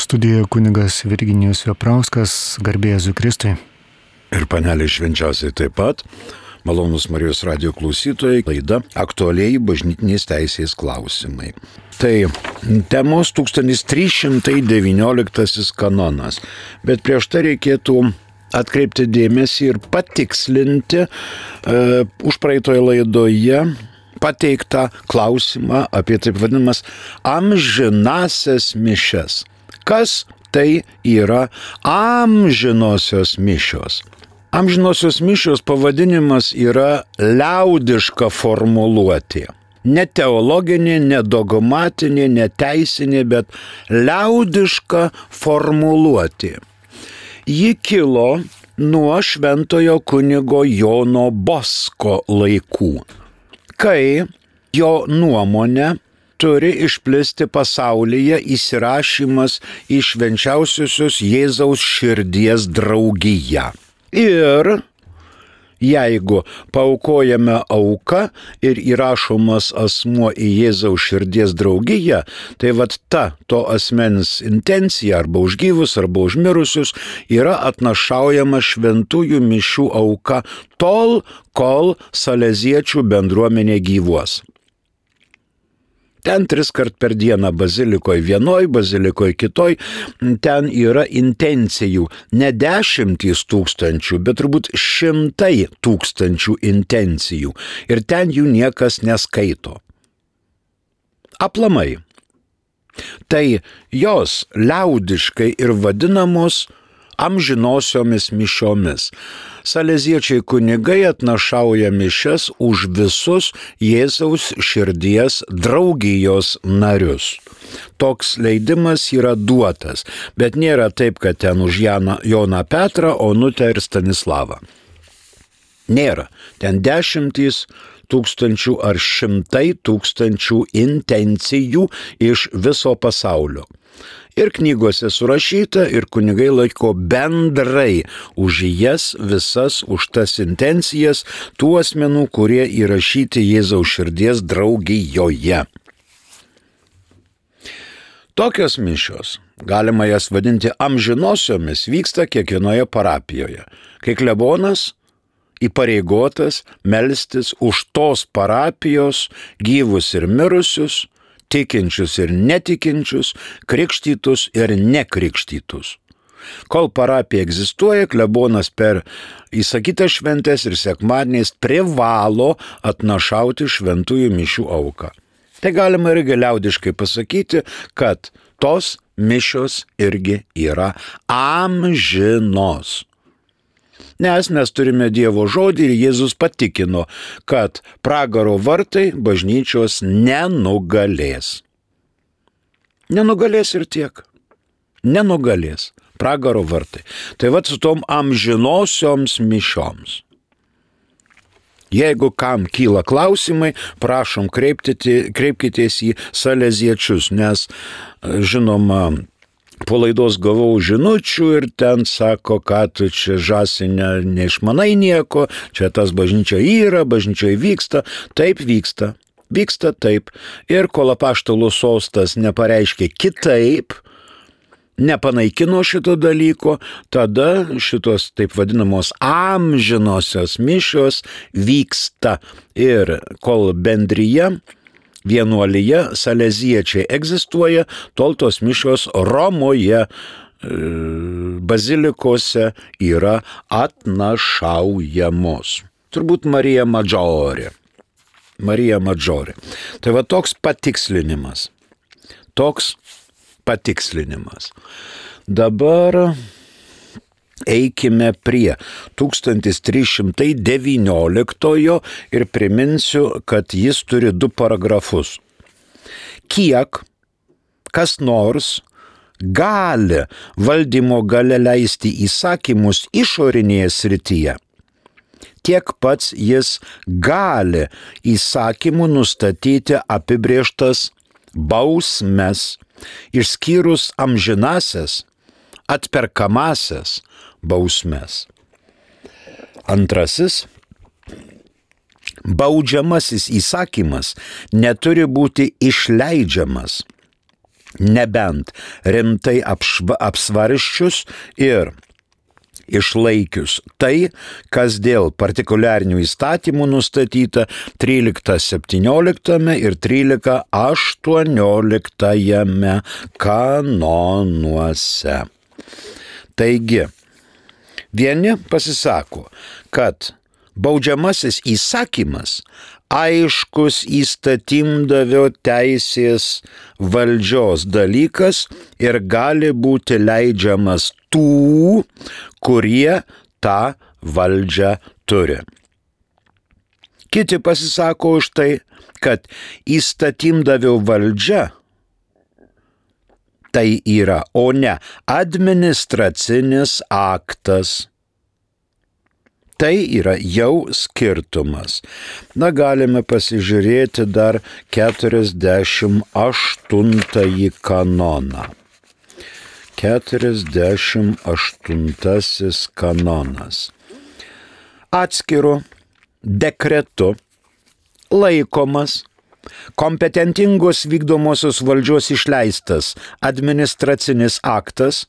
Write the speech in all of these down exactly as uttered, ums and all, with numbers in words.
Studijoje kunigas Virginijus Veprauskas, garbė Jėzui Kristui. Ir panelė švenčiausiai taip pat, malonūs Marijos radijo klausytojai, laida aktualiai bažnytinės teisės klausimai. Tai temos tūkstantis trys šimtai devynioliktasis kanonas, bet prieš tai reikėtų atkreipti dėmesį ir patikslinti uh, užpraeitoje laidoje pateiktą klausimą apie taip vadinamas amžinasias mišias. Kas tai yra amžinosios mišios? Amžinosios mišios pavadinimas yra liaudiška formuluotė. Ne teologinė, ne dogmatinė, ne teisinė, bet liaudiška formuluotė. Ji kilo nuo šventojo kunigo Jono Bosko laikų, kai jo nuomonė turi išplisti pasaulyje įsirašymas į švenčiausiosios Jėzaus širdies draugiją. Ir jeigu paaukojame auką ir įrašomas asmuo į Jėzaus širdies draugiją, tai vat ta to asmens intencija arba už gyvus, arba už mirusius yra atnašaujama šventųjų mišių auka tol, kol saleziečių bendruomenė gyvuos. Ten tris kart per dieną bazilikoje vienoj, bazilikoje kitoj, ten yra intencijų, ne dešimtys tūkstančių, bet turbūt šimtai tūkstančių intencijų. Ir ten jų niekas neskaito. Aplamai. Tai jos liaudiškai ir vadinamos amžinosiomis mišiomis. Saleziečiai kunigai atnašauja mišias už visus Jėzaus širdies draugijos narius. Toks leidimas yra duotas, bet nėra taip, kad ten už Janą, Joną Petrą, Onutę ir Stanislavą. Nėra. Ten dešimtys tūkstančių ar šimtai tūkstančių intencijų iš viso pasaulio. Ir knygose surašyta, ir kunigai laiko bendrai už jas visas, už tas intencijas tų asmenų, kurie įrašyti Jėzaus širdies draugijoje. Tokios mišios, galima jas vadinti amžinosiomis, vyksta kiekvienoje parapijoje, kai klebonas įpareigotas melstis už tos parapijos gyvus ir mirusius, tikinčius ir netikinčius, krikštytus ir nekrikštytus. Kol parapija egzistuoja, klebonas per įsakytas šventes ir sekmadieniais privalo atnašauti šventųjų mišių auką. Tai galima irgi liaudiškai pasakyti, kad tos mišios irgi yra amžinos. Nes mes turime Dievo žodį ir Jėzus patikino, kad pragaro vartai bažnyčios nenugalės. Nenugalės ir tiek. Nenugalės pragaro vartai. Tai vat su tom amžinosioms mišioms. Jeigu kam kyla klausimai, prašom kreipkitės į saleziečius, nes žinoma, po laidos gavau žinučių ir ten sako, kad tu čia žąsinė neišmanai nieko, čia tas bažnyčia yra, bažnyčioje vyksta, taip vyksta, vyksta taip. Ir kol apaštalų sostas nepareiškė kitaip, nepanaikino šito dalyko, tada šitos taip vadinamos amžinosios mišios vyksta. Ir kol bendrija, vienuolyje, saleziečiai egzistuoja, tol tos mišios Romoje bazilikose yra atnašaujamos. Turbūt Marija Maggiore. Marija Maggiore. Tai va toks patikslinimas. Toks patikslinimas. Dabar eikime prie tūkstantis trys šimtai devynioliktojo ir priminsiu, kad jis turi du paragrafus. Kiek kas nors gali valdymo gale leisti įsakymus išorinėje srityje, tiek pats jis gali įsakymų nustatyti apibrėžtas bausmes, išskyrus amžinasias, atperkamasias bausmes. Antrasis, baudžiamasis įsakymas neturi būti išleidžiamas nebent rimtai apšva, apsvarščius ir išlaikius tai, kas dėl partikuliarinių įstatymų nustatyta trylikta septynioliktame ir trylika aštuonioliktame kanonuose. Taigi, vieni pasisako, kad baudžiamasis įsakymas aiškus įstatymdavio teisės valdžios dalykas ir gali būti leidžiamas tų, kurie tą valdžią turi. Kiti pasisako už tai, kad įstatymdavio valdžia tai yra, o ne administracinis aktas. Tai yra jau skirtumas. Na, galime pasižiūrėti dar keturiasdešimt aštuntąjį kanoną. keturiasdešimt aštuntasis kanonas. Atskiru dekretu laikomas kompetentingos vykdomosios valdžios išleistas administracinis aktas,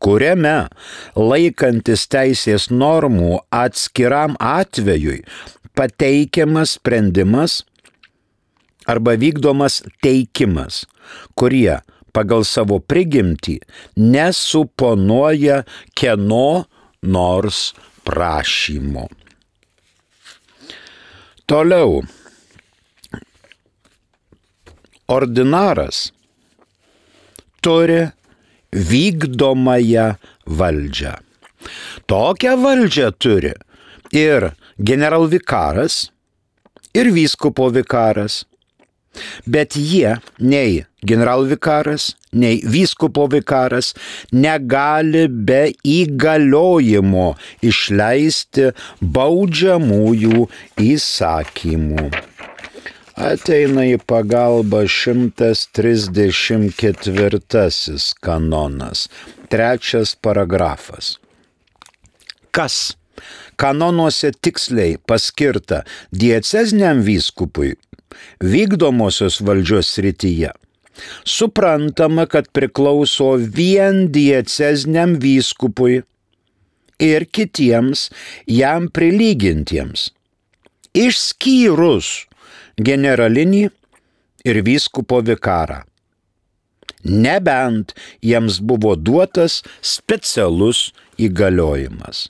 kuriame laikantis teisės normų atskiram atvejui pateikiamas sprendimas arba vykdomas teikimas, kurie pagal savo prigimtį nesuponuoja kieno nors prašymo. Toliau. Ordinaras turi vykdomąją valdžią. Tokią valdžią turi ir generalvikaras, ir vyskupo vikaras, bet jie, nei generalvikaras, nei vyskupo vikaras negali be įgaliojimo išleisti baudžiamųjų įsakymų. Ateina į pagalbą šimtas trisdešimt ketvirtasis kanonas, trečias paragrafas. Kas kanonuose tiksliai paskirta dieceziniam vyskupui vykdomosios valdžios srityje, suprantama, kad priklauso vien dieceziniam vyskupui ir kitiems jam prilygintiems, išskyrus generalinį ir vyskupo vikarą, nebent jiems buvo duotas specialus įgaliojimas.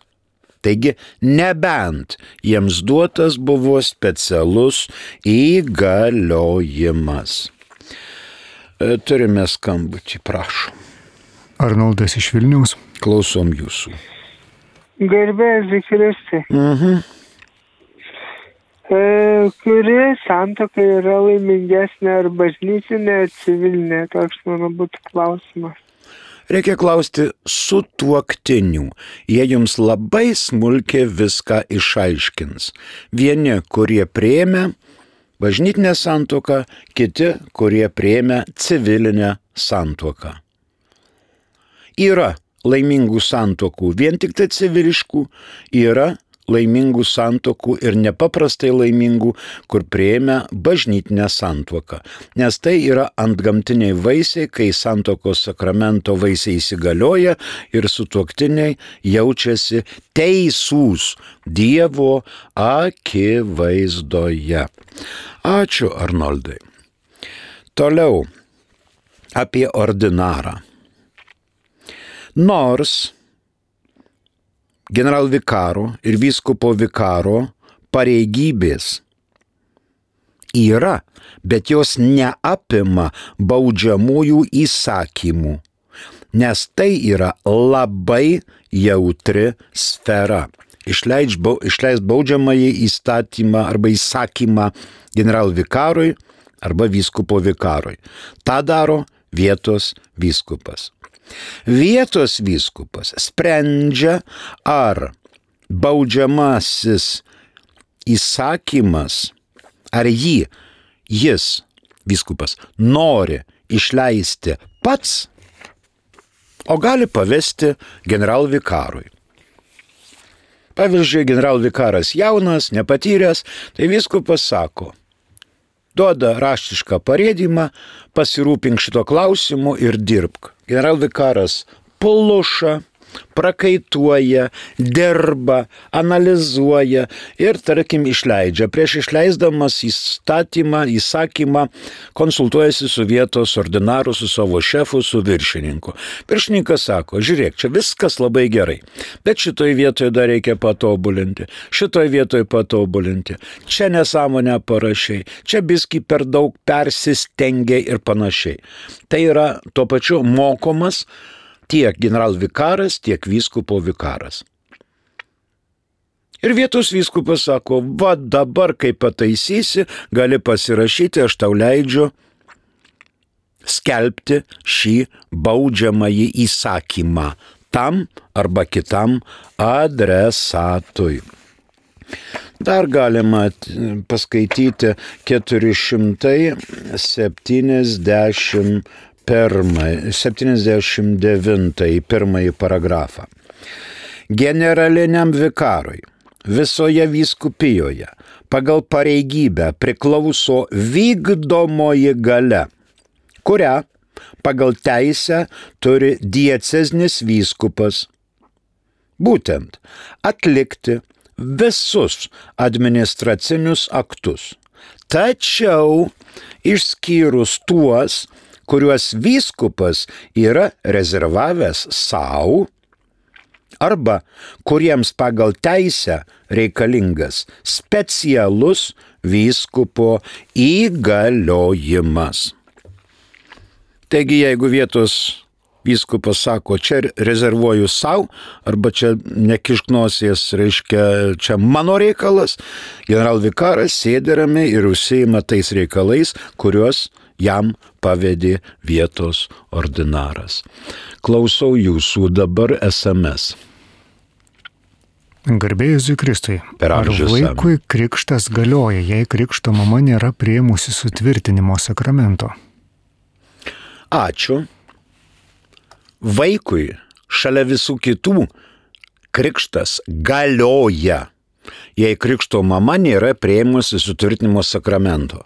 Taigi, nebent jiems duotas buvo specialus įgaliojimas. Turime skambutį, prašom. Arnoldas iš Vilniaus. Klausom jūsų. Garbėsiu Kristui. Mhm. E, kuri santuoka yra laimingesnė, ar bažnytinė, ar civilinė? Toks mano būtų klausimas. Reikia klausti sutuoktinių. Jie jums labai smulkiai viską išaiškins. Vieni, kurie priėmė bažnytinę santuoką, kiti, kurie priėmė civilinę santuoką. Yra laimingų santuokų, vien tik tai civiliškų, yra laimingų santuokų ir nepaprastai laimingų, kur priėmė bažnytinę santuoką. Nes tai yra antgamtiniai vaisiai, kai santuokos sakramento vaisiai įsigalioja ir sutuoktiniai jaučiasi teisūs Dievo akivaizdoje. Ačiū, Arnoldai. Toliau apie ordinarą. Nors generalvikaro ir vyskupo vikaro pareigybės yra, bet jos neapima baudžiamųjų įsakymų, nes tai yra labai jautri sfera. Išleist baudžiamąjį įstatymą arba įsakymą generalvikarui arba vyskupo vikarui. Ta daro vietos vyskupas. Vietos vyskupas sprendžia, ar baudžiamasis įsakymas, ar jį, jis, vyskupas, nori išleisti pats, o gali pavesti generalvikarui. Pavyzdžiui, generalvikaras jaunas, nepatyręs, tai vyskupas sako: duoda raštišką parėdimą, pasirūpink šito klausimu ir dirbk. Generalvikaras pluša, prakaituoja, dirba, analizuoja ir, tarkim, išleidžia. Prieš išleisdamas įstatymą, įsakymą, konsultuojasi su vietos ordinaru, su savo šefu, su viršininku. Viršininkas sako, žiūrėk, čia viskas labai gerai, bet šitoj vietoje dar reikia patobulinti, šitoj vietoje patobulinti, čia nesąmonę parašiai, čia biskį per daug persistengia ir panašiai. Tai yra tuo pačiu mokomas tiek generalvikaras, tiek vyskupo vikaras. Ir vietos vyskupas sako, va dabar, kai pataisysi, gali pasirašyti, aš tau leidžiu skelbti šį baudžiamąjį įsakymą tam arba kitam adresatui. Dar galima paskaityti keturi šimtai septyniasdešimt septyniasdešimt devintąjį pirmąjį paragrafą. Generaliniam vikarui visoje vyskupijoje pagal pareigybę priklauso vykdomoji galia, kurią pagal teisę turi dieceznis vyskupas, būtent atlikti visus administracinius aktus, tačiau išskyrus tuos, kuriuos vyskupas yra rezervavęs savo arba kuriems pagal teisę reikalingas specialus vyskupo įgaliojimas. Taigi, jeigu vietos vyskupas sako, čia rezervuoju savo, arba čia nekišk nosies, reiškia, čia mano reikalas, generalvikaras sėdi ramiai ir užsiima tais reikalais, kuriuos jam pavedė vietos ordinaras. Klausau jūsų dabar es em es. Garbė Jėzui Kristui. Per Ar amžius vaikui krikštas galioja, jei krikšto mama nėra priėmusi sutvirtinimo sakramento? Ačiū. Vaikui šalia visų kitų krikštas galioja, jei krikšto mama nėra priėmusi sutvirtinimo sakramento.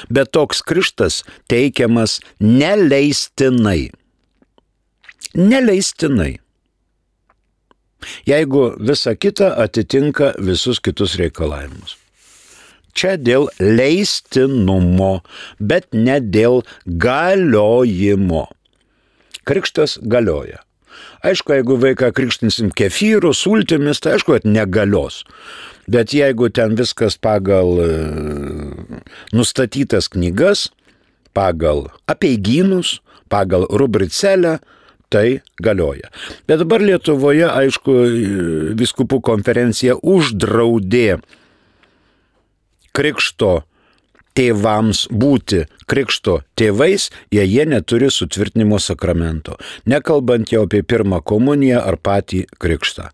Bet toks krikštas teikiamas neleistinai. Neleistinai. Jeigu visa kita atitinka visus kitus reikalavimus. Čia dėl leistinumo, bet ne dėl galiojimo. Krikštas galioja. Aišku, jeigu vaiką krikštinsim kefyru, sultimis, tai aišku, kad negalios. Bet jeigu ten viskas pagal nustatytas knygas, pagal apeigynus, pagal rubricelę, tai galioja. Bet dabar Lietuvoje, aišku, vyskupų konferencija uždraudė krikšto tėvams būti krikšto tėvais, jei jie neturi sutvirtinimo sakramento, nekalbant jau apie pirmą komuniją ar patį krikštą.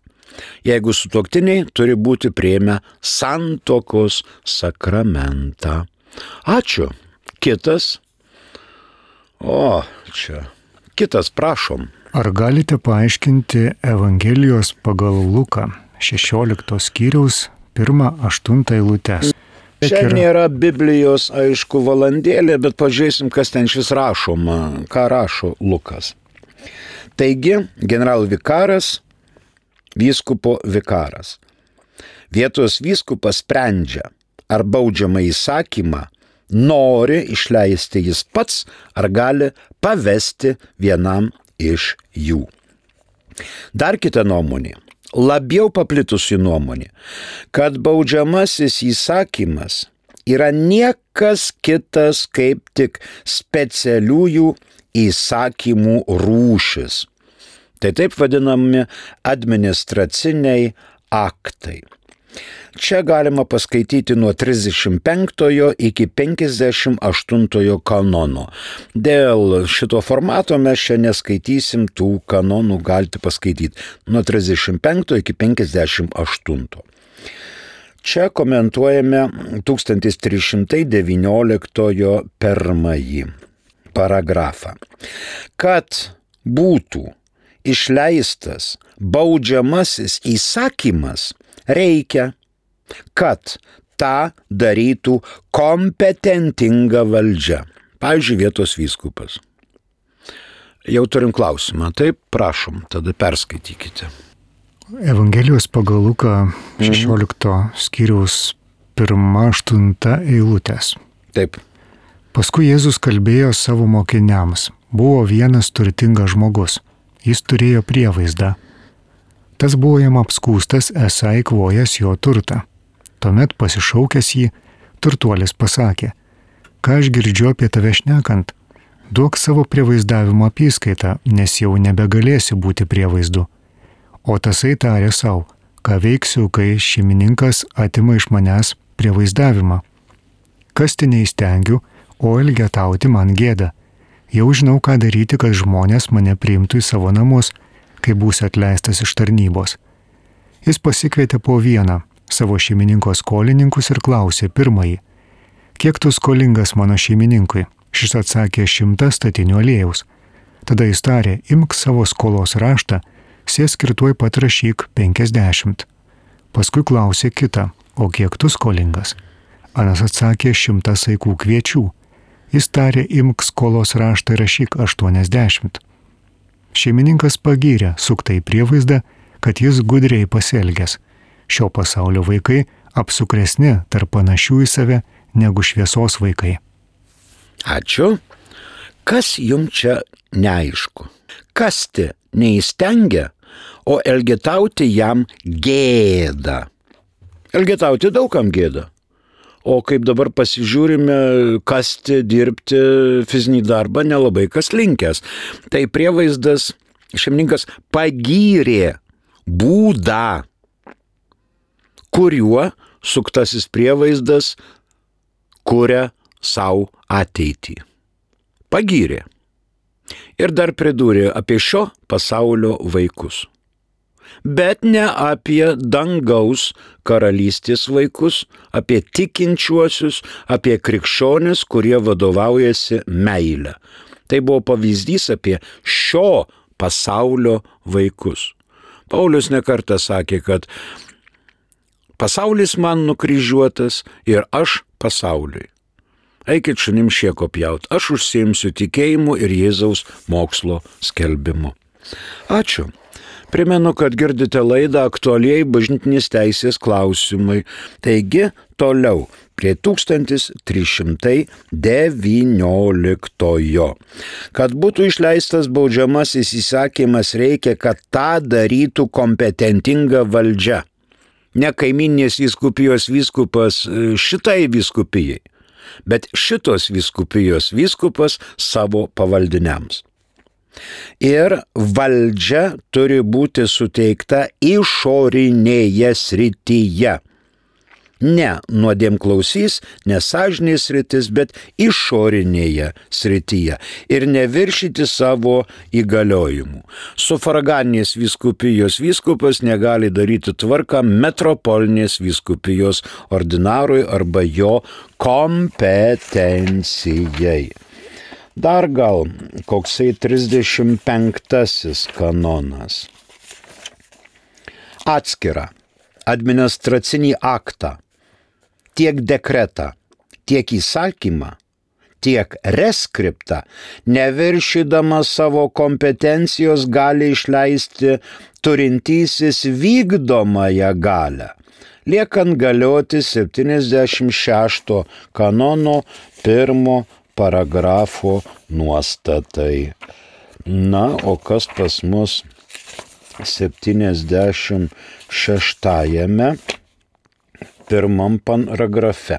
Jeigu sutuoktiniai turi būti priėmę santuokos sakramentą. Ačiū. Kitas. O, čia. Kitas, prašom. Ar galite paaiškinti Evangelijos pagal Luką šešioliktos skyriaus pirmą aštuntą eilutes? Čia nėra Biblijos, aišku, valandėlė, bet pažiūrėsim, kas ten šis rašoma, ką rašo Lukas. Taigi, generalvikaras, vyskupo vikaras. Vietos vyskupas sprendžia, ar baudžiamą įsakymą nori išleisti jis pats, ar gali pavesti vienam iš jų. Dar kita nuomonė, labiau paplitusi nuomonė, kad baudžiamasis įsakymas yra niekas kitas kaip tik specialiųjų įsakymų rūšis. Tai taip vadinami administraciniai aktai. Čia galima paskaityti nuo trisdešimt penktojo iki penkiasdešimt aštuntojo kanono. Dėl šito formato mes čia neskaitysim tų kanonų, galite paskaityti nuo trisdešimt penktojo iki penkiasdešimt aštuntojo. Čia komentuojame tūkstantis trys šimtai devynioliktojo pirmąjį paragrafą. Kad būtų išleistas baudžiamasis įsakymas, reikia, kad tą darytų kompetentinga valdžia. Pavyzdžiui, vietos vyskupas. Jau turim klausimą, taip prašom, tada perskaitykite. Evangelijos pagal Luką šešiolikto skyriaus pirma aštunta eilutės. Taip. Paskui Jėzus kalbėjo savo mokiniams. Buvo vienas turtingas žmogus. Jis turėjo prievaizdą. Tas buvo jam apskūstas, esą eikvojęs jo turtą. Tuomet pasišaukęs jį, turtuolis pasakė: ką aš girdžiu apie tave šnekant? Duok savo prievaizdavimo apyskaitą, nes jau nebegalėsi būti prievaizdu. O tasai tarė savo: ką veiksiu, kai šeimininkas atima iš manęs prievaizdavimą? Kasti neįstengiu, o elgetauti man gėda. Jau žinau, ką daryti, kad žmonės mane priimtų į savo namus, kai būsiu atleistas iš tarnybos. Jis pasikvietė po vieną savo šeimininko skolininkus ir klausė pirmąjį: kiek tu skolingas mano šeimininkui? Šis atsakė: šimtą statinių aliejaus. Tada jis tarė: imk savo skolos raštą, sėsk ir tuoj pat rašyk penkiasdešimt. Paskui klausė kitą: o kiek tu skolingas? Anas atsakė: šimtą saikų kviečių. Jis tarė: imk skolos raštą ir rašyk aštuoniasdešimt. Šeimininkas pagyrė suktai prievaizdą, kad jis gudriai pasielgęs. Šio pasaulio vaikai apsukresni tarp panašių į save negu šviesos vaikai. Ačiū. Kas jums čia neaišku? Kasti neįstengia, o elgetauti jam gėda. Elgetauti daugam gėda. O kaip dabar pasižiūrime, kasti, dirbti fizinį darbą nelabai kas linkęs. Tai prievaizdas, šeimininkas pagyrė būdą, kuriuo suktasis prievaizdas kuria savo ateitį. Pagyrė. Ir dar pridūrė apie šio pasaulio vaikus. Bet ne apie dangaus karalystės vaikus, apie tikinčiuosius, apie krikščionis, kurie vadovaujasi meile. Tai buvo pavyzdys apie šio pasaulio vaikus. Paulius nekartą sakė, kad pasaulis man nukryžiuotas ir aš pasauliui. Eikit šunim šieko pjaut, aš užsiimsiu tikėjimu ir Jėzaus mokslo skelbimu. Ačiū. Primenu, kad girdite laidą Aktualieji bažnytinės teisės klausimai. Taigi, toliau prie tūkstantis trys šimtai devynioliktojo. Kad būtų išleistas baudžiamasis įsakymas, reikia, kad tą darytų kompetentinga valdžia. Ne kaiminės vyskupijos vyskupas šitai vyskupijai, bet šitos vyskupijos vyskupas savo pavaldiniams. Ir valdžia turi būti suteikta išorinėje srityje. Ne nuodėmklausys, nesąžinės sritis, bet išorinėje srityje. Ir neviršyti savo įgaliojimų. Sufraganės vyskupijos vyskupas negali daryti tvarką metropolinės vyskupijos ordinarui arba jo kompetencijai. Dar gal koksai trisdešimt penktasis kanonas. Atskirą administracinį aktą, tiek dekretą, tiek įsakymą, tiek reskriptą, neviršydama savo kompetencijos gali išleisti turintysis vykdomąją galią, liekant galioti septyniasdešimt šešto kanono pirmo paragrafo nuostatai. Na, o kas pas mus septyniasdešimt šeštajame pirmam paragrafe?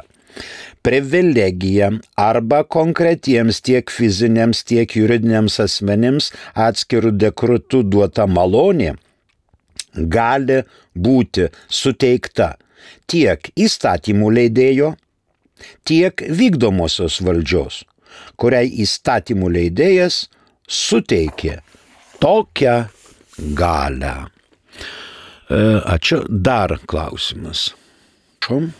Privilegija arba konkretiems tiek fiziniams, tiek juridiniams asmenims atskirų dekretų duota malonė gali būti suteikta tiek įstatymų leidėjo, tiek vykdomosios valdžios, kuriai įstatymų leidėjas suteikė tokią galią. Ačiū. Dar klausimas. Šum.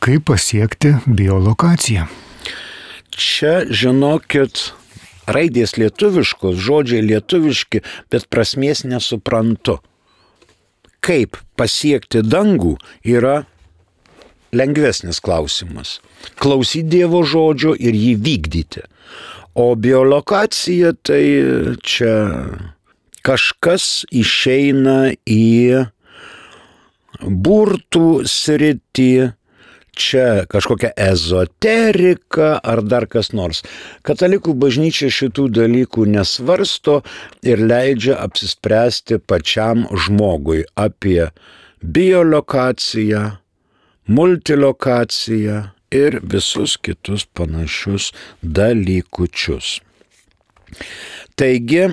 Kaip pasiekti biolokaciją? Čia, žinokit, raidės lietuviškos, žodžiai lietuviški, bet prasmės nesuprantu. Kaip pasiekti dangų yra lengvesnis klausimas. Klausyti Dievo žodžio ir jį vykdyti. O biolokacija tai čia kažkas išeina į burtų sritį, čia kažkokia ezoterika ar dar kas nors. Katalikų bažnyčia šitų dalykų nesvarsto ir leidžia apsispręsti pačiam žmogui apie biolokaciją, multilokaciją ir visus kitus panašius dalykučius. Taigi,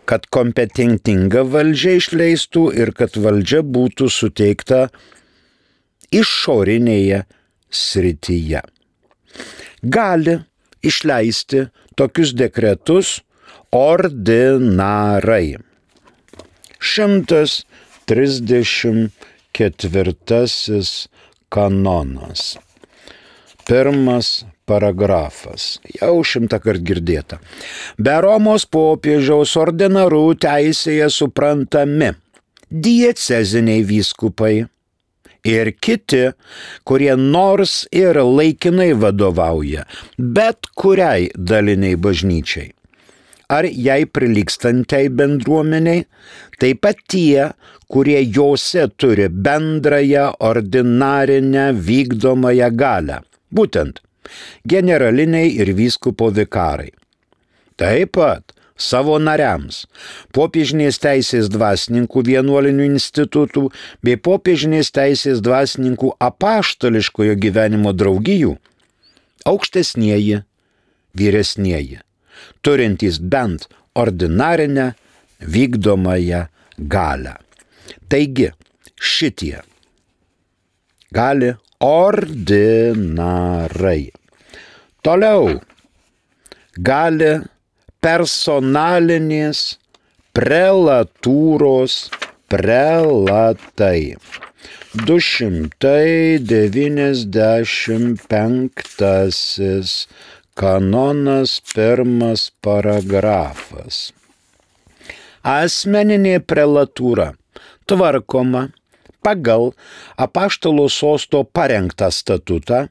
kad kompetentinga valdžia išleistų ir kad valdžia būtų suteikta išorinėje srityje. Gali išleisti tokius dekretus ordinarai. šimtas trisdešimt ketvirtasis kanonas. Pirmas paragrafas. Jau šimtą kart girdėta. Be Romos popiežiaus ordinarų teisėje suprantami dieceziniai vyskupai ir kiti, kurie nors ir laikinai vadovauja bet kuriai daliniai bažnyčiai ar jai prilygstantai bendruomeniai, taip pat tie, kurie jose turi bendrąją ordinarinę vykdomąją galią, būtent generaliniai ir vyskupo vikarai. Taip pat savo nariams, popiežinės teisės dvasininkų vienuolinių institutų bei popiežinės teisės dvasininkų apaštališkojo gyvenimo draugijų, aukštesnieji, vyresnieji, turintys bent ordinarinę vykdomąją galią. Taigi, šitie gali ordinarai. Toliau gali personalinės prelatūros prelatai. du šimtai devyniasdešimt penktasis kanonas pirmas paragrafas. Asmeninė prelatūra tvarkoma pagal apaštalo sosto parengtą statutą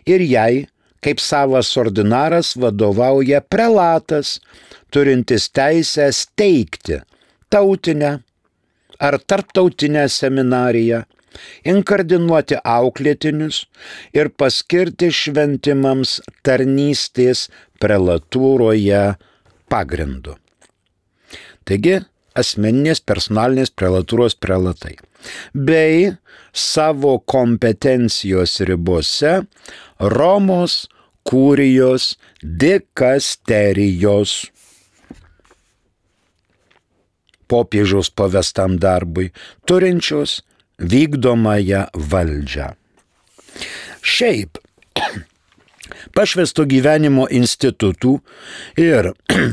ir jai, kaip savas ordinaras, vadovauja prelatas, turintis teisę steigti tautinę ar tarptautinę seminariją, inkardinuoti auklėtinius ir paskirti šventimams tarnystės prelatūroje pagrindu. Taigi, asmeninės personalinės prelatūros prelatai, bei savo kompetencijos ribose Romos kurijos dikasterijos popiežiaus pavestam darbui turinčios vykdomąją valdžią. Šiaip pašvęsto gyvenimo institutų ir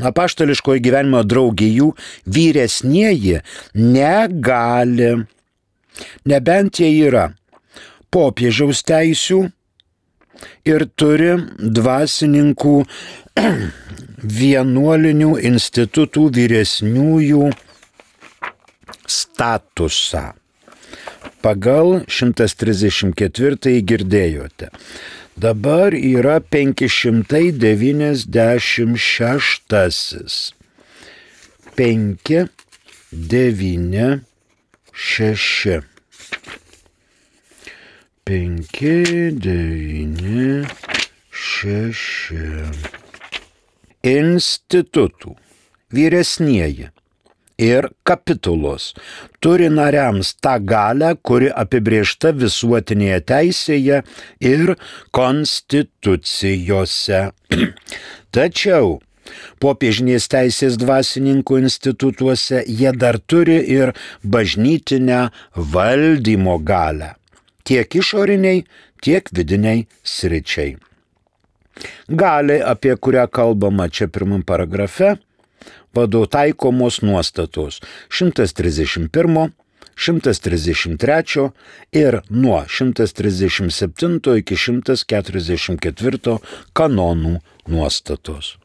apaštališkojo gyvenimo draugijų vyresnieji negali, nebent jie yra popiežiaus teisių ir turi dvasininkų vienuolinių institutų vyresniųjų statusą. Pagal šimtas trisdešimt ketvirtąjį girdėjote. Dabar yra penki šimtai devyniasdešimt šeštasis. penki, devyni, šeši. penki, devyni, šeši. Institutų vyresnieji ir kapitulos turi nariams tą galią, kuri apibrėžta visuotinėje teisėje ir konstitucijose. Tačiau popiežinės teisės dvasininkų institutuose jie dar turi ir bažnytinę valdymo galią, tiek išoriniai, tiek vidiniai sričiai. Gali, apie kurią kalbama čia pirmam paragrafe, vadovų taikomos nuostatos šimtas trisdešimt pirmo, šimtas trisdešimt trečio ir nuo šimtas trisdešimt septinto iki šimtas keturiasdešimt ketvirto kanonų nuostatos.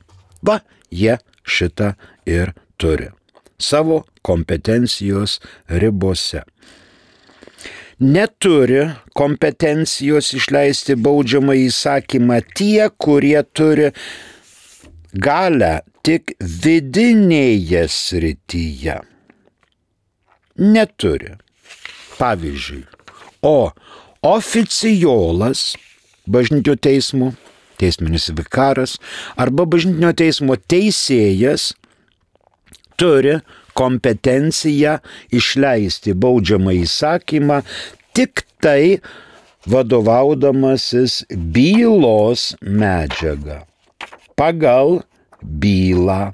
Va, jie šitą ir turi savo kompetencijos ribose. neturi kompetencijos išleisti baudžiamą įsakymą tie, kurie turi galę tik vidinėje srityje. Neturi. Pavyzdžiui, o oficijolas bažnytinio teismo, teisminis vikaras arba bažnytinio teismo teisėjas turi kompetenciją išleisti baudžiamą įsakymą tik tai vadovaudamasis bylos medžiaga. Pagal bylą,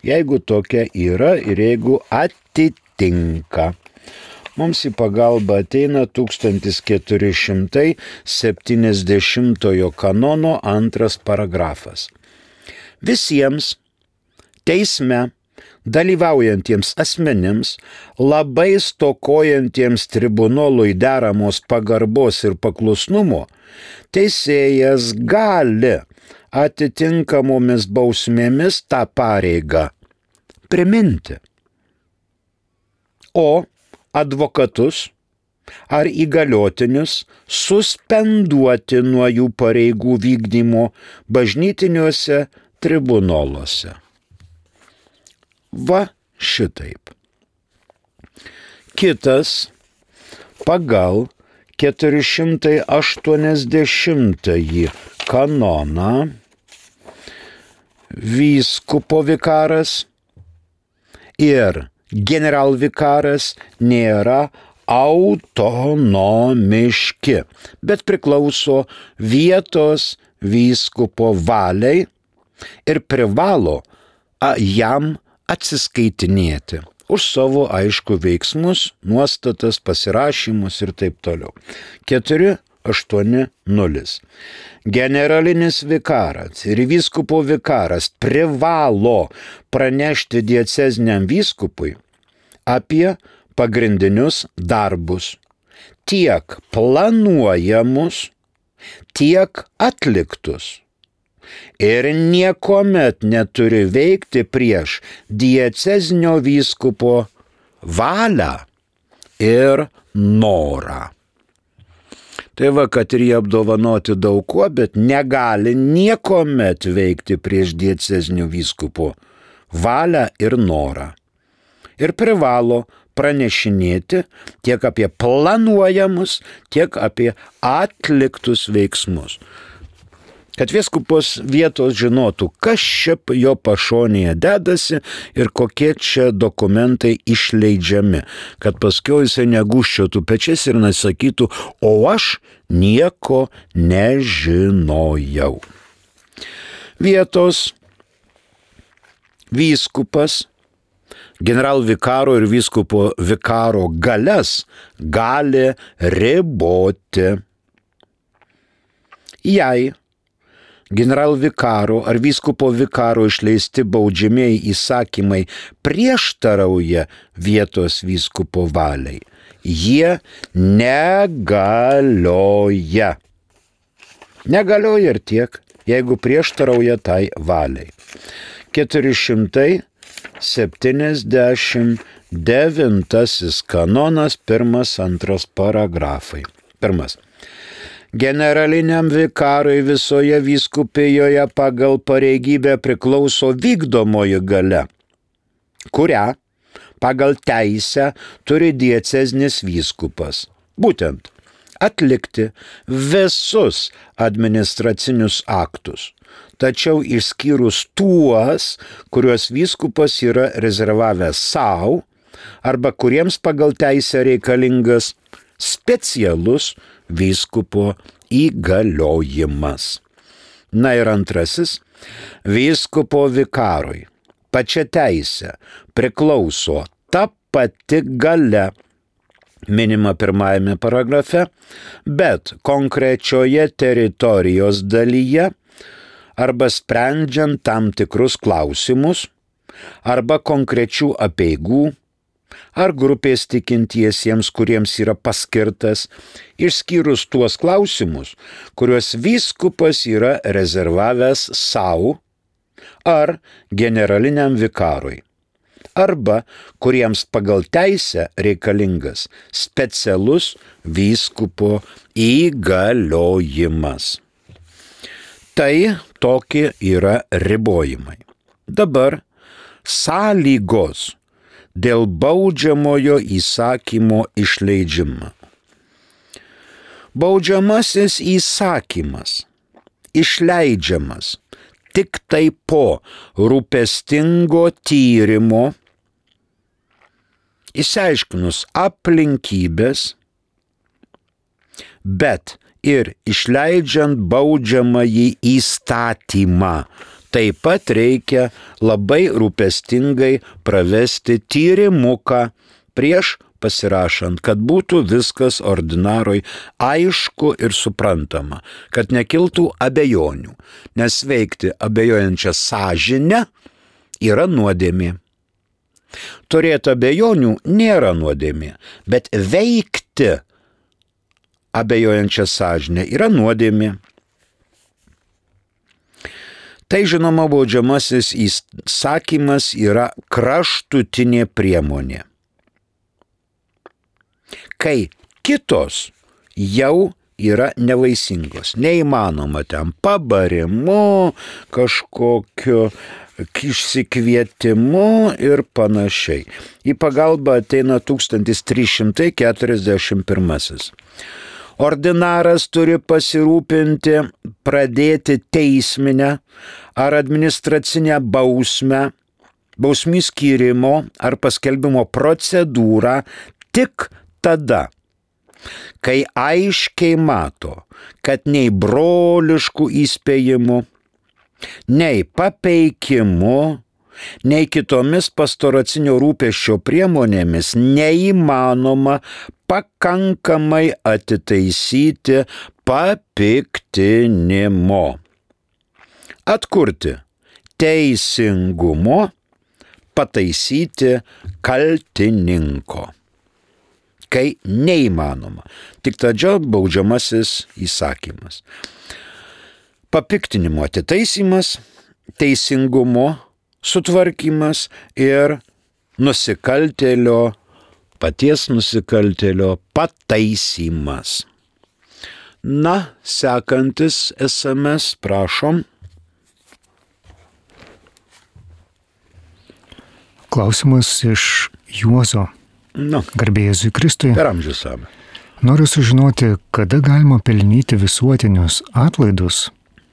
jeigu tokia yra ir jeigu atitinka. Mums į pagalbą ateina tūkstantis keturi šimtai septyniasdešimtojo kanono antras paragrafas. Visiems teisme dalyvaujantiems asmenims, labai stokojantiems tribunolui deramos pagarbos ir paklusnumo, teisėjas gali atitinkamomis bausmėmis tą pareigą priminti. O advokatus ar įgaliotinius suspenduoti nuo jų pareigų vykdymo bažnytiniuose tribunoluose. Va šitaip. Kitas pagal keturi šimtai aštuoniasdešimtąjį kanoną vyskupo vikaras ir generalvikaras nėra autonomiški, bet priklauso vietos vyskupo valiai ir privalo jam atsiskaitinėti už savo aišku veiksmus, nuostatas, pasirašymus ir taip toliau. keturi aštuoni nulis. Generalinis vikaras ir vyskupo vikaras privalo pranešti dieceziniam vyskupui apie pagrindinius darbus, tiek planuojamus, tiek atliktus. Ir niekuomet neturi veikti prieš diecezinio vyskupo valią ir norą. Tai va, kad ir jie apdovanoti daug kuo, bet negali niekuomet veikti prieš diecezinio vyskupo valią ir norą. Ir privalo pranešinėti tiek apie planuojamus, tiek apie atliktus veiksmus. Kad vyskupas vietos žinotų, kas čia jo pašonėje dedasi ir kokie čia dokumentai išleidžiami, kad paskiau jisai negūščiotų pečiais ir nesakytų, o aš nieko nežinojau. Vietos vyskupas generalvikaro ir vyskupo vikaro galias gali riboti. Jei generalvikaro ar vyskupo vikaro išleisti baudžiamieji įsakymai prieštarauja vietos vyskupo valiai, jie negalioja. Negalioja ir tiek, jeigu prieštarauja tai valiai. keturi šimtai septyniasdešimt devintasis kanonas, pirmas, antras paragrafai. Pirmas. Generaliniam vikarui visoje vyskupijoje pagal pareigybę priklauso vykdomoji galia, kurią pagal teisę turi dieceznis vyskupas. Būtent atlikti visus administracinius aktus, tačiau išskyrus tuos, kuriuos vyskupas yra rezervavęs savo, arba kuriems pagal teisę reikalingas specialus vyskupo įgaliojimas. Na ir antrasis, vyskupo vikarui pačia teisė priklauso ta pati galia, minima pirmajame paragrafe, bet konkrečioje teritorijos dalyje arba sprendžiant tam tikrus klausimus, arba konkrečių apeigų, ar grupės tikintiesiems, kuriems yra paskirtas, išskyrus tuos klausimus, kuriuos vyskupas yra rezervavęs savo ar generaliniam vikarui, arba kuriems pagal teisę reikalingas specialus vyskupo įgaliojimas. Tai tokie yra ribojimai. Dabar sąlygos dėl baudžiamojo įsakymo išleidžimo. Baudžiamasis įsakymas išleidžiamas tik tai po rūpestingo tyrimo, išsiaiškinus aplinkybės, bet ir išleidžiant baudžiamąjį įstatymą. Taip pat reikia labai rūpestingai pravesti tyrimuką prieš pasirašant, kad būtų viskas ordinaroj aišku ir suprantama, kad nekiltų abejonių, nes veikti abejojančią sąžinę yra nuodėmė. Turėti abejonių nėra nuodėmė, bet veikti abejojančią sąžinę yra nuodėmė. Tai žinoma, baudžiamasis įsakymas yra kraštutinė priemonė, kai kitos jau yra nevaisingos. Neįmanoma ten pabarimu, kažkokiu išsikvietimu ir panašiai. Į pagalbą ateina tūkstantis trys šimtai keturiasdešimt pirmasis. Ordinaras turi pasirūpinti pradėti teisminę ar administracinę bausmę, bausmių skyrimo ar paskelbimo procedūrą tik tada, kai aiškiai mato, kad nei broliškų įspėjimų, nei papeikimu, nei kitomis pastoracinio rūpesčio priemonėmis neįmanoma pakankamai atitaisyti papiktinimo. Atkurti teisingumo, pataisyti kaltininko. Kai neįmanoma. Tik tada baudžiamasis įsakymas. Papiktinimo atitaisymas, teisingumo sutvarkymas ir nusikaltėlio, paties nusikaltėlio pataisymas. Na, sekantis es em es, prašom. Klausimas iš Juozo. Nu, Garbė Jėzui Kristui. per amžius same. Noriu sužinoti, kada galima pelnyti visuotinius atlaidus,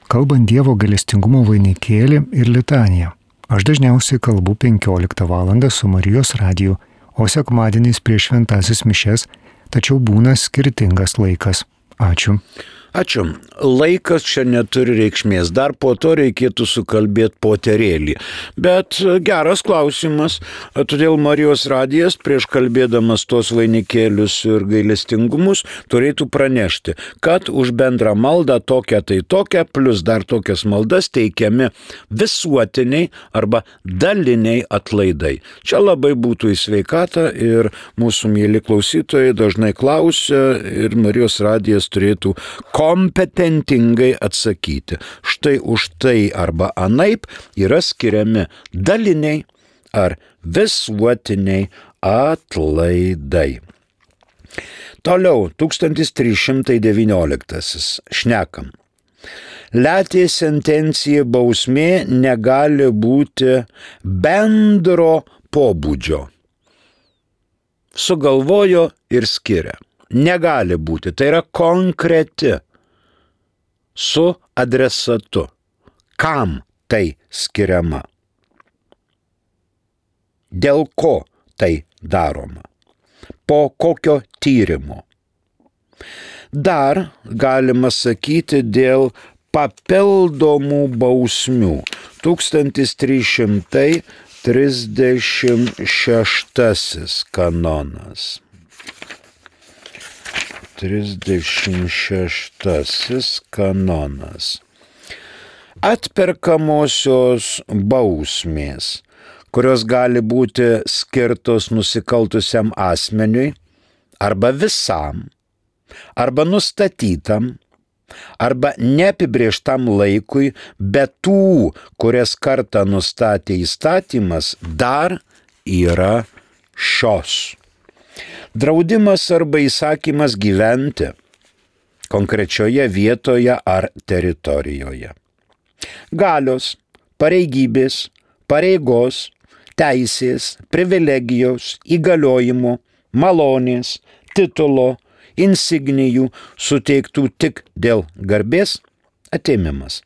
kalbant Dievo gailestingumo vainikėlį ir litaniją. Aš dažniausiai kalbu penkioliktą valandą su Marijos radiju, o sekmadieniais prieš šventasis mišes, tačiau būna skirtingas laikas. Ačiū. Ačiū. Laikas čia neturi reikšmės. Dar po to reikėtų sukalbėti poterėlį. Bet geras klausimas. Todėl Marijos radijas prieš kalbėdamas tos vainikėlius ir gailestingumus turėtų pranešti, kad už bendrą maldą tokią tai tokią, plus dar tokias maldas teikiami visuotiniai arba daliniai atlaidai. Čia labai būtų į sveikatą ir mūsų mėly klausytojai dažnai klausia ir Marijos radijas turėtų kompetentingai atsakyti. Štai už tai arba anaip yra skiriami daliniai ar visuotiniai atlaidai. Toliau, tūkstantis trys šimtai devynioliktasis. Šnekam. Letė sentencija bausmė negali būti bendro pobūdžio. Sugalvojo ir skiria. Negali būti. Tai yra konkreti. Su adresatu. Kam tai skiriama? Dėl ko tai daroma? Po kokio tyrimo? Dar galima sakyti dėl papildomų bausmių. tūkstantis trys šimtai trisdešimt šeštasis kanonas. trisdešimt šeštasis kanonas. Atperkamosios bausmės, kurios gali būti skirtos nusikaltusiam asmeniui, arba visam, arba nustatytam, arba neapibrėžtam laikui, bet tų, kurias kartą nustatė įstatymas, dar yra šios. Draudimas arba įsakymas gyventi konkrečioje vietoje ar teritorijoje. Galios, pareigybės, pareigos, teisės, privilegijos, įgaliojimų, malonės, titulo, insignijų suteiktų tik dėl garbės atėmimas.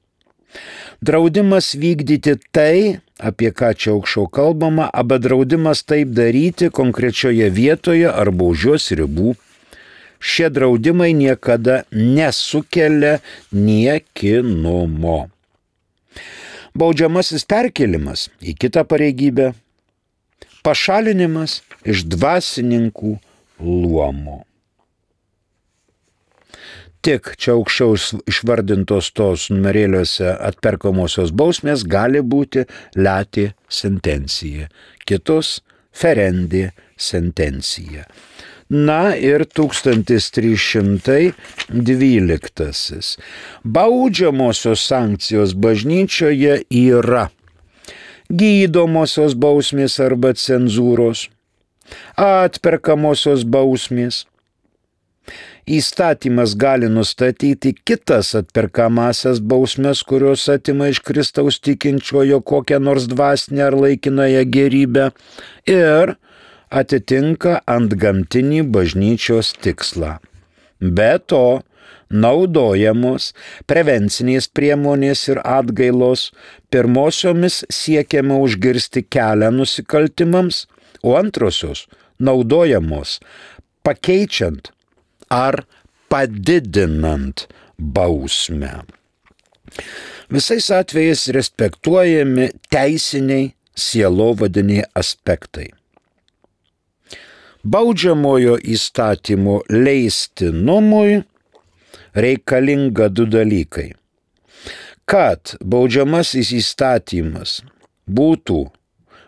Draudimas vykdyti tai, apie ką čia aukščiau kalbama, arba draudimas taip daryti konkrečioje vietoje arba už jos ribų. Šie draudimai niekada nesukelia niekinumo. Baudžiamasis perkėlimas į kitą pareigybę, pašalinimas iš dvasininkų luomo. Tik čia aukščiau išvardintos tos numerėliuose atperkamosios bausmės gali būti lati sentencija, kitos ferendi sentencija. Na ir tūkstantis trys šimtai dvyliktasis. Baudžiamosios sankcijos bažnyčioje yra gydomosios bausmės arba cenzūros, atperkamosios bausmės. Įstatymas gali nustatyti kitas atperkamasias bausmes, kurios atima iš Kristaus tikinčiojo kokią nors dvasinę ar laikinąją gerybę ir atitinka antgamtinį bažnyčios tikslą. Be to, naudojamos prevencinės priemonės ir atgailos, pirmosiomis siekiama užkirsti kelią nusikaltimams, o antrosios naudojamos pakeičiant ar padidinant bausmę. Visais atvejais respektuojami teisiniai sielovadiniai aspektai. Baudžiamojo įstatymo leistinumui reikalinga du dalykai. Kad baudžiamasis įstatymas būtų,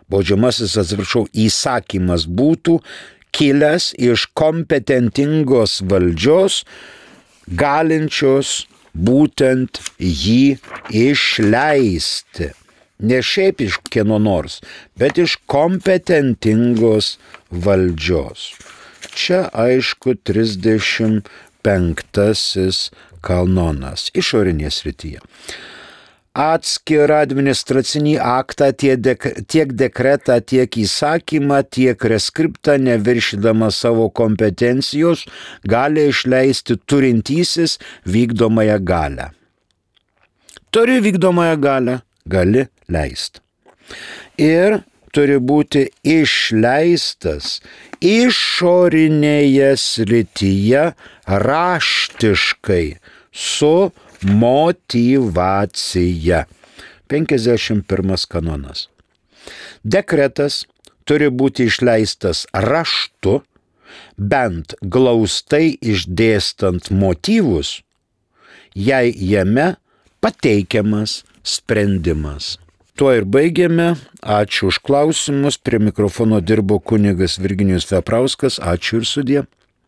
baudžiamasis, atsiprašau, įsakymas būtų kilęs iš kompetentingos valdžios, galinčios būtent jį išleisti. Ne šiaip iš kieno nors, bet iš kompetentingos valdžios. Čia aišku trisdešimt penktasis kanonas išorinės srityje. Atskirą administracinį aktą, tiek dekretą, tiek įsakymą, tiek reskriptą, neviršydama savo kompetencijos, gali išleisti turintysis vykdomąją galią. Turi vykdomąją galią, gali leisti. Ir turi būti išleistas išorinėje srityje raštiškai su motyvacija. penkiasdešimt pirmas kanonas. Dekretas turi būti išleistas raštu, bent glaustai išdėstant motyvus, jei jame pateikiamas sprendimas. Tuo ir baigėme. Ačiū už klausimus. Prie mikrofono dirbo kunigas Virginijus Veprauskas. Ačiū ir sudie.